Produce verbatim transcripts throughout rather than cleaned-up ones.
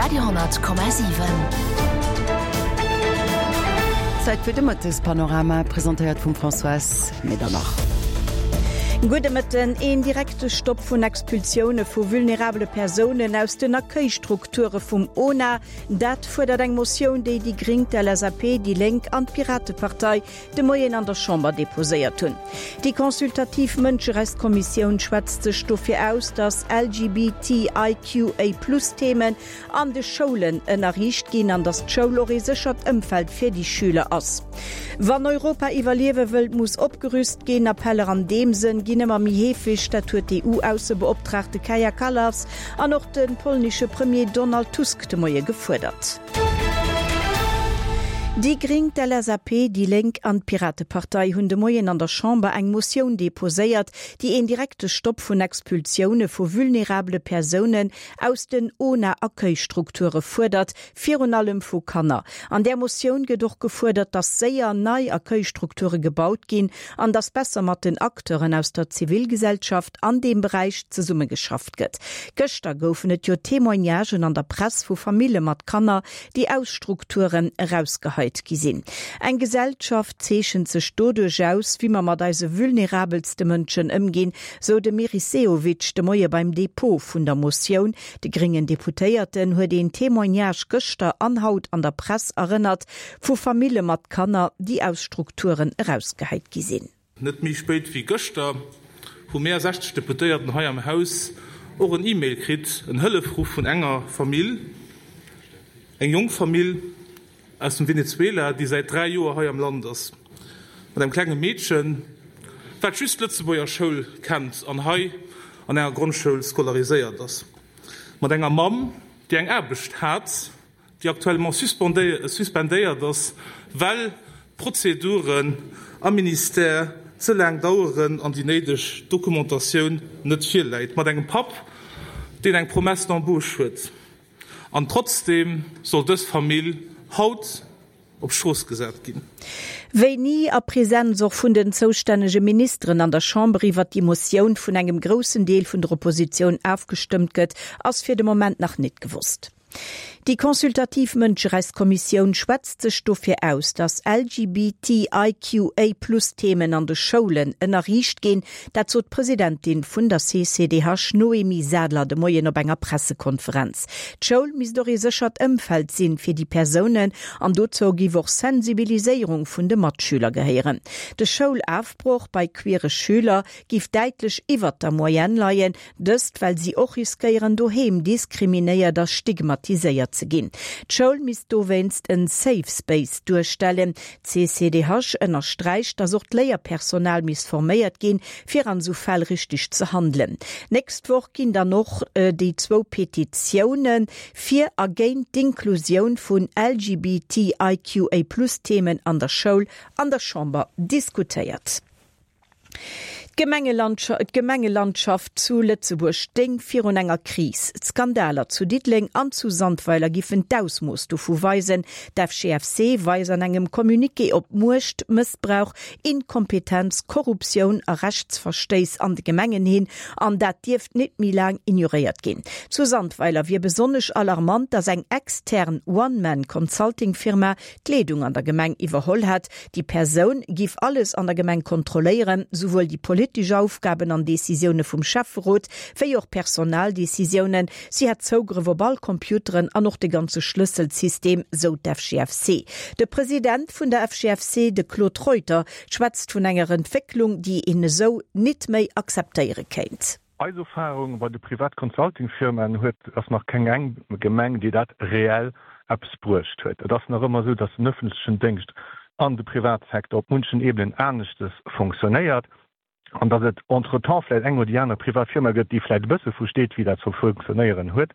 Radio honnert Komma siwen. Zäit fir de Mëttespanorama, presentéiert vum Françoise Medernach. Gudde Mëtten. Een direkte Stopp vun Expulsioune vu vulnerabele Persounen aus den Accueilstrukture vum ONA, dat fuerdert eng Motioun, déi déi Gréng, d'LSAP, déi Lénk an d'Piratepartei de Moien an der Chamber deposéiert hunn. Déi consultativ Mënscherechtskommissioun schwätzt sech dofir aus, datt LGBTIQA-Plus-Themen an de Schoulen ënnerriicht ginn an datt d'Schoul och ee séchert Ëmfeld fir déi Schüler ass. Wann Europa iwwerliewe wëllt, muss opgerüst ginn. Appeller an deem Sënn ginn ëmmer méi heefeg, dat huet d'EU-Aussebeoptraagte Kaja Kallas an och de polnesche Premier Donald Tusk de Moie gefuerdert. Déi Gréng, d'LSAP, déi Lénk an d'Piratepartei hunn de Moien an der Chamber eng Motioun deposéiert, déi een direkte Stopp vun Expulsioune vu vulnerabele Persounen aus den ONA-Accueilstrukture fuerdert, virun allem vu Kanner. An där Motioun gëtt och gefuerdert, datt séier nei Accueilstrukture gebaut ginn an datt besser mat den Acteuren aus der Zivilgesellschaft an deem Beräich zesummegeschafft gëtt. Gëschter goufen et jo Témoignagen an der Press vu Famille mat Kanner, déi aus Strukturen erausgeheit gi sinn. Eng Gesellschaft zeechent sech doduerch aus, wéi mer mat eise vulnerabelste Mënschen ëmginn, sou de Meris Sehovic de Moie beim Depot vun der Motioun. De gréngen Deputéierten huet un Témoignagë gëschter an haut an der Press erënnert, vu Famille mat Kanner, déi aus Strukturen erausgeheit gi sinn. Net méi spéit wéi gëschter hu mir sechzeg Deputéierten hei am Haus och en E-Mail kritt, en Hëllefruff vun enger Famill, eng jonk Famill aus dem Venezuela, déi säit dräi Joer hei am Land ass, mat engem klenge Meedchen, wat just d'Lëtzebuerger Schoul kennt an hei an enger Grondschoul scolariséiert ass, mat enger Mamm, déi eng Aarbecht hat, déi actuellement suspendéiert ass, well d'Prozeduren am Ministère ze laang daueren an déi néideg Dokumentatioun net virläit, mat engem Papp, deen eng Promesse d'embauche huet. An trotzdeem soll dës Famill haut op d'Strooss gesat ginn. Wéini a Presenz och vun den zoustännege Ministeren an der Chamber iwwert déi Motioun vun engem groussen Deel vun der Oppositioun ofgestëmmt gëtt, ass fir de Moment nach net gewosst. Déi consultativ Mënscherechtskommissioun schwätzt sech dofir aus, datt LGBTIQA-Plus-Themen an de Schoulen ënnerriicht ginn. Dat sot d'Presidentin vun der C C D H Noémie Sadler de Moien op enger Pressekonferenz. D'Schoul misst och ee séchert Ëmfeld sinn fir déi Persounen an dozou géif och Sensibiliséierung vun de Matschüler gehéieren. De Schoulofbroch bei queere Schüler géif däitlech iwwert der Moyenne leien, dëst well si och riskéieren doheem diskriminéiert a stigmatiséiert ze ginn. D'Schoul misst dowéinst en Safe Space duerstellen. D'C C D H ënnersträicht, datt och d'Léierpersonal misst forméiert ginn, fir an sou Fäll richteg ze handelen. Nächst Woch ginn dann och äh, déi zwou Petitioune fir a géint d'Inklusioun vun L G B T I Q A-Plus-Themen an der Schoul an der Chamber diskutéiert. D'Gemengelandschaft zu Lëtzebuerg stéing virun enger Kris. D'Skandaler zu Diddeleng an zu Sandweiler géifen d'Ausmooss dovu weisen. D'F G F C weist an engem Communiqué op Muecht, Mëssbrauch, Inkompetenz, Korruptioun a Rechtsverstéiss an de Gemengen hin, an dat dierft net méi laang ignoréiert ginn. Zu Sandweiler wier besonnesch alarmant, dass eng extern One-Man-Consulting-Firma d'Leedung an der Gemeng iwwerholl hat. Déi Persoun géif alles an der Gemeng kontrolléieren, souwuel déi politesch Aufgaben an Decisioune vum Schäfferot, wéi och Personaldecisiounen. Si hat Zougrëff op all Computeren an och de ganze Schlësselsystem, sou d'F G F C. De President vun der F G F C, de Claude Reuter, schwätzt vun enger Entwécklung, déi een esou net méi akzeptéiere kéint. Eis Erfahrung bei de privat Consulting-Firmen huet, ass nach keng eng Gemeng, déi dat reell eppes bruecht huet. Et ass nach ëmmer sou, dass den ëffentlechen Déngscht an de Privatsecteur op munchen Ebenen aneschters funktionéiert an dass et entretemps vläicht eng oder déi aner privat Firma gëtt, déi vläicht e bësse versteet, wéi dat ze funktionéieren huet,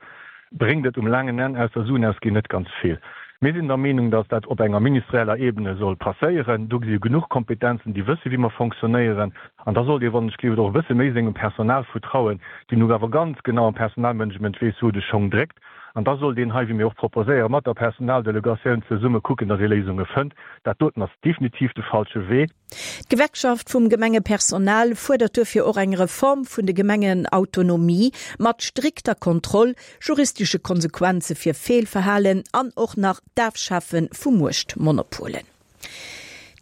bréngt et um laangen Enn ausser Suen ausginn net ganz vill. Mir sinn der Meenung, dass dat op enger ministerieller Ebene soll passéieren. Do si genuch Kompetenzen, déi wësse wéi mer fonctionnéieren an da sollt ee wann ech gleeft och e bësse méi sengem Personal vertrauen, déi nu awer ganz genau am Personalmanagement weess, wou de Schong dréckt. An da sollt een hei, wéi mir och proposéieren, mat der Personaldelegatioun zesumme kucken, datt ee Léisunge fënnt. Dat doten ass definitiv de falsche Wee. D'Gewerkschaft vum Gemengepersonal fuerdert duerfir och eng Reform vun de Gemengenautonomie mat strikter Kontroll, juristesche Konsequenze fir Feelverhalen an och nach d'Afschafe vu Muechtmonopolen.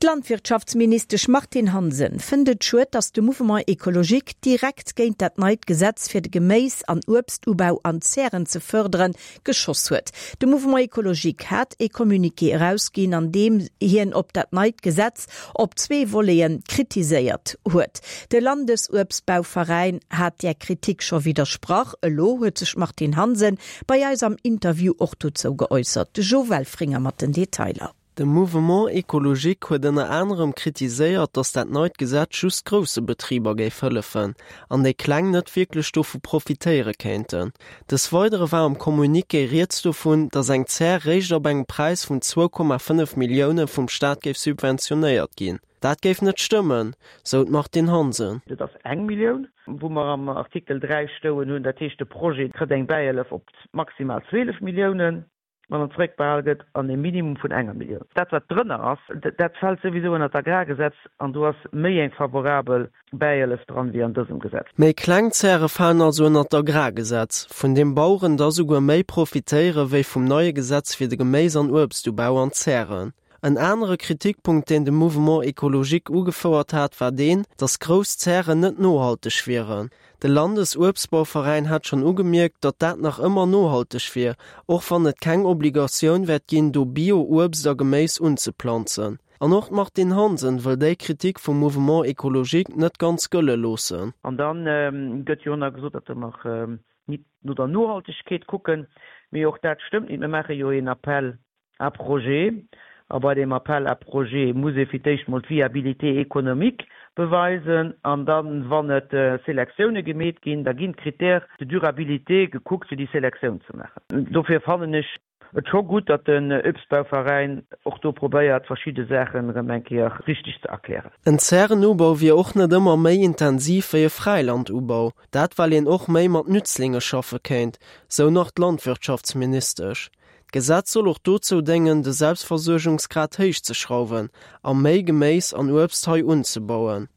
D'Landwirtschaftsministesch Martine Hansen fënnt et schued, datt de Mouvement Ecologique direkt géint dat neit Gesetz fir de Geméis an Uebstubau an Zären ze fërderen, geschoss huet. De Mouvement Ecologique hat e Communiqué erausginn, an deem hien op dat neit Gesetz op zwee Voleten kritiséiert huet. De Landesuebstbauveräin hat där Kritik scho widdersprach. Elo huet sech d'Martine Hansen bei eis am Interview och dozou geäussert. De Jo Welfringer mat den Detailer. De Mouvement Ecologique huet ënner anerem kritiséiert, datt dat neit Gesetz just grousse Betriber géif hëllefen an déi kleng net wierklech dovu profitéiere kéinten. Des Weidere war am Communiqué rieds dovun, datt eng Zär réischt ab engem Präis vun zwou Komma fënnef Millioune vum Staat géif subventionéiert ginn. Dat géif net stëmmen, sou d'Martine Hansen. Dat ass eng Millioun, wou mer am Artikel dräi stoen hunn. Dat heescht, de Projet kritt eng Bäihëllef op maximal zwielef Milliounen. wann en zeréckbehal gëtt, an e Minimum vun enger Millioun. Dat, wat drënner ass, dat fält souwisou ënner d'Agrargesetz an do ass méi eng favorabel Bäihëllef dran wéi an dësem Gesetz. Méi kleng Zäre falen also ënner d'Agrargesetz, vun deem Baueren da souguer méi profitéiere wéi vum neie Gesetz fir de Geméis an Uebstubau an Zären. En anere Kritikpunkt, deen de Mouvement Ecologique ugefouert hat, war deen, datt grouss Zären net nohalteg wieren. De Landesuebstbauveräin hat schonn ugemierkt, datt dat nach ëmmer nohalteg wier, och wann et keng Obligatioun wäert ginn, do Bio-Uebst a Geméis unzeplanzen. An och d'Martine Hansen wëll déi Kritik vum Mouvement Ecologique net ganz gëlle loossen. An da gëtt jo och nach gesot, datt mer nit no der Nohaltegkeet kucken. Mee och dat stëmmt nit. Mir maache jo een Appel à projets. A bei deem Appel à projets muss ee fir d'éischt mol d'Viabilité économique beweisen an dann, wann et Selektioune gemeet ginn, da ginn d'Critères de durabilité gekuckt, fir déi Selektioun ze maachen. Dofir fannen ech et scho gutt, datt den Uebstbauveräin och do probéiert, verschidde Saachen erëm eng Kéier richteg ze erklären. En Zärenubau wier och net ëmmer méi intensiv wéi e Fräilandubau, dat well een och méi mat Nützlinge schaffe kéint, sou nach d'Landwirtschaftsministesch. D'Gesetz soll och dozou déngen, de Selbstversuergungsgrad héich ze schrauwen a méi Geméis an Uebst hei unzebauen.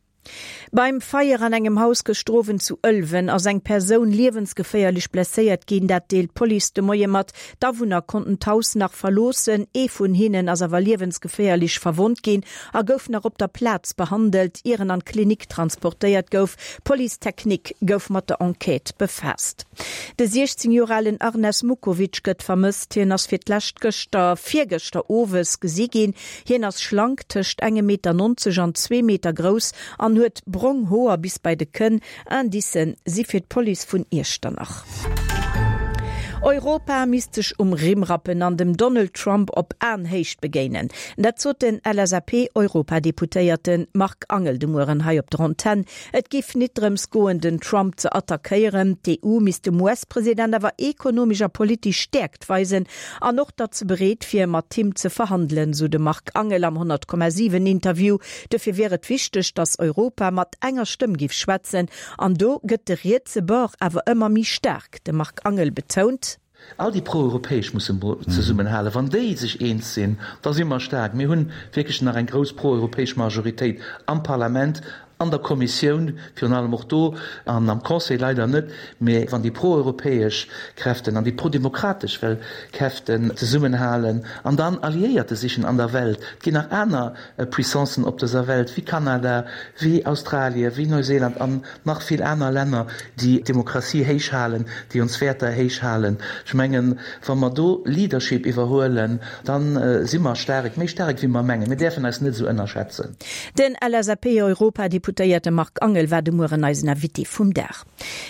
Beim Feier an engem Haus gëschter Owend zu Ëlwen ass eng Persoun liewensgeféierlech blesséiert ginn. Dat deelt d'Police de Moie mat. D'Awunner konnten d'Haus nach verloossen. Ee vun hinnen ass awer liewensgeféierlech verwonnt ginn a gouf nach op der Plaz behandelt, ier en an d'Klinik transportéiert gouf. D'Police technique gouf mat der Enquête befaasst. De siechzéng Joer alen Arnes Mukovic gëtt vermësst. Hien ass fir d'lescht gëschter, virgëschter owes gesi ginn. Hien ass schlank, tëscht engem Meter nonzeg an zwee Meter grouss an huet brong Hoer bis bei de Kënn. Indicen si fir d'Police vun Iechternach. Europa misst sech um Rimm rappen an dem Donald Trump op Aenhéicht begéinen. Dat sot den L S A P-Europadeputéierte Marc Angel de Mueren hei op der Antenn. Et géif nit drëms goen, den Trump ze attackéieren. D'E U misst dem U S-President awer ekonomesch a politesch Stäerkt weisen an och, datt se bereet wier, mat him ze verhandelen, sou de Marc Angel am honnert Komma siwen Interview. Dofir wier et wichteg, datt Europa mat enger Stëmm géif schwätzen. An do gëtt de rietse Bord awer ëmmer méi staark. De Marc Angel betount. All déi pro-europäesch musse mol zesummenhalen. Wann déi sech eens sinn, da si mer staark. Mir hunn wierklech nach eng grouss pro-europäesch Majoritéit am Parlament, an der Kommissioun, virun allem och do, an am Conseil leider net. Mä wann déi pro-europäesch Kräften an déi pro-demokratesch well Kräften zesummenhalen an dann Alliéierte sichen an der Welt, et ginn nach aner Puissancen op dëser Welt, wéi Kanada, wéi Australie, wéi Neuseeland an nach vill aner Länner, déi d'Demokratie héich halen, déi ons Wäerter héich halen. Ech mengen, wa mer do Leadership iwwerhuelen, da si mer staark, méi staark wéi mer mengen. Mir däerfen eis net esou ënnerschätzen. Den L S A P-Europadeputéierte Marc Angel war de Mueren eisen Invité vum Dag.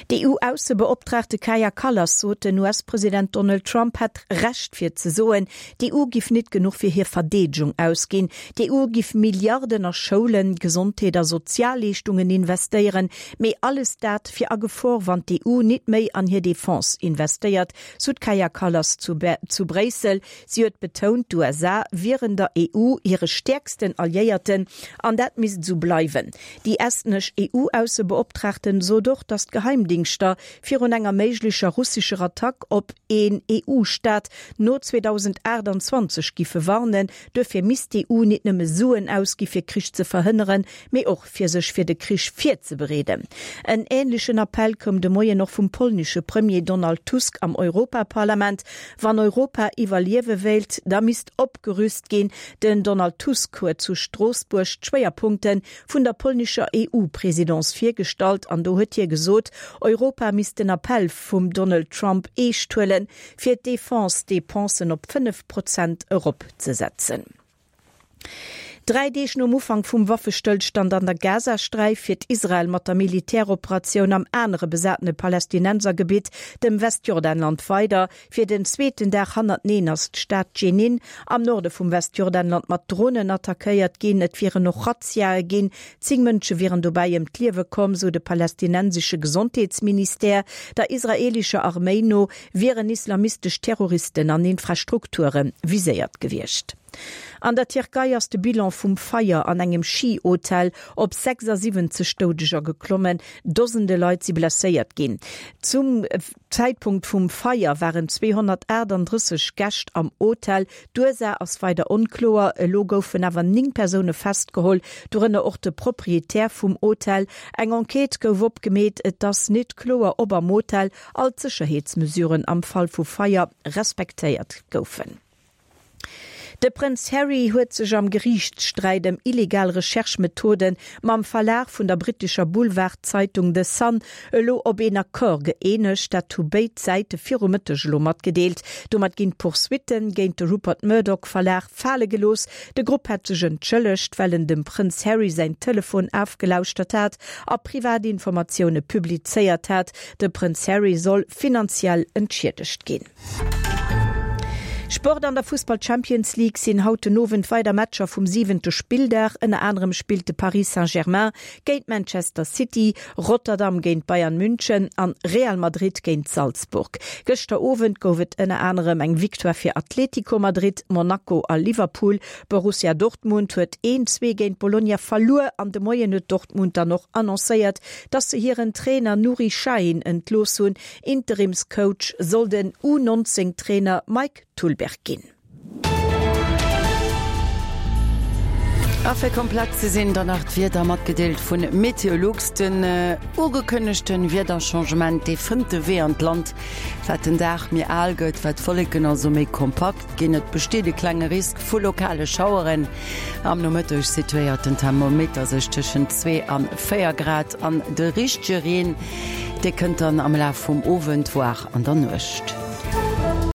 D'E U-Aussebeoptraagte Kaja Kallas sot, den U S-President Donald Trump hätt Recht fir ze soen, d'E U giff nit genuch fir hir Verdeedegung ausginn. D'E U giff Milliarden a Schoulen, Gesondheet a Sozialleeschtungen investéieren, mee alles dat wier a Gefor, wann d'E U nit méi an hir Defense investéiert, sou d'Kaja Kallas zu zu Bréissel. Si huet betount, d'U S A wieren der E U hire stäerksten Alliéierten an dat misst esou bleiwen. Déi estnesch EU-Aussebeoptraagten sot och, datt d'Geheimdingschter virun enger méiglecher russescher Attack op een EU-Staat no zweedausendachtundzwanzeg giffe warnen. Duerfir misst d'EU nit nëmme Suen ausgi fir Krich ze verhënneren, mee och fir sech fir de Krich virzebereeden. En änlechen Appell koum de Moien och vum polnesche Premier Donald Tusk am Europaparlament. Wann Europa iwwerliewe wéilt, da misst opgerüst ginn. Den Donald Tusk huet zu Stroossbuerg d'Schwéierpunkte vun der polnescher EU-Presidence virgestallt an do huet hie gesot, Europa misst den Appell vum Donald Trump eescht huelen, fir d'Defense-Depensen op fënnef Prozent eropzesetzen. Dräi Deeg nom Ufank vum Waffestëllstand an der Gazasträif fiert Israel mat der Militäroperatioun am anere besatene Palästinensergebitt, dem Westjordanland, weider. Fir den zweeten Dag hannerteneen ass d'Stad Dschenin am Norde vum Westjordanland mat Dronen attackéiert ginn. Et wieren och Razziae ginn. Zéng Mënsche wieren dobäi ëm d'Liewe komm, sou de palästinensesche Gesondheetsministère. Der israeelescher Arméi no wieren islamistesch Terroristen an Infrastrukture viséiert gewiescht. An der Tierkei ass de Bilan vum Feier an engem Schi-Hotel op sechsasiwwenzeg Doudeger geklommen. Dosende Leit si blesséiert ginn. Zum Zäitpunkt vum Feier waren zweehonnertaachtanddrësseg Gäscht am Hotel. D'Ursaach ass weider onkloer. Elo goufen awer néng Persoune festgeholl, dorënner och de Proprietär vum Hotel. Eng Enquête gouf opgemeet. Et ass net kloer, ob am Hotel all d'Sécherheetsmesuren am Fall vu Feier respektéiert goufen. De Prënz Harry huet sech am Geriichtssträit ëm illegal Recherche-Methode mam Verlag vun der brittescher Boulevardzeitung The Sun elo op een Accord gëeenegt. Dat hu béid Säite viru Mëtteg elo matgedeelt. Domat ginn d'Poursuitte géint de Rupert Murdoch Verlag fale gelooss. De Grupp hätt sech entschëllegt, well en dem Prënz Harry säin Telefon afgelauschtert hat a privat Informatioune publizéiert hat. De Prënz Harry soll finanziell entschiedegt ginn. Sport An der Fussball-Champions League sinn haut den Owend weider Matcher vum siwente Spilldag. Ënner anerem spillt de Paris Saint-Germain géint Manchester City, Rotterdam géint Bayern München an Real Madrid géint Salzburg. Gëschter Owend gouf et ënner anerem eng Victoire fir Atlético Madrid, Monaco a Liverpool. Borussia Dortmund huet een, zwee géint Bologna verluer an de Moien huet Dortmund dann och annoncéiert, dass se hiren Trainer Nuri Sahin entlooss hunn. Interimscoach soll den U neunzéng Trainer Mike Tullberg ginn. A fir komplett ze sinn, dann nach d'Wieder matgedeelt vun Meteolux. Den ugekënnegte Wiederchangement, dee fënnt de Wee an d'Land. Wat den Dag méi al gëtt, wat d'Wolleken also méi kompakt ginn. Et besteet e klenge Risk vu lokale Schaueren. Am Nomëtteg situéiert den Thermometer sech tëschent zwee an véier Grad an de richtege Reen, dee kënnt dann am Laf vum Owend, voire an der Nuecht.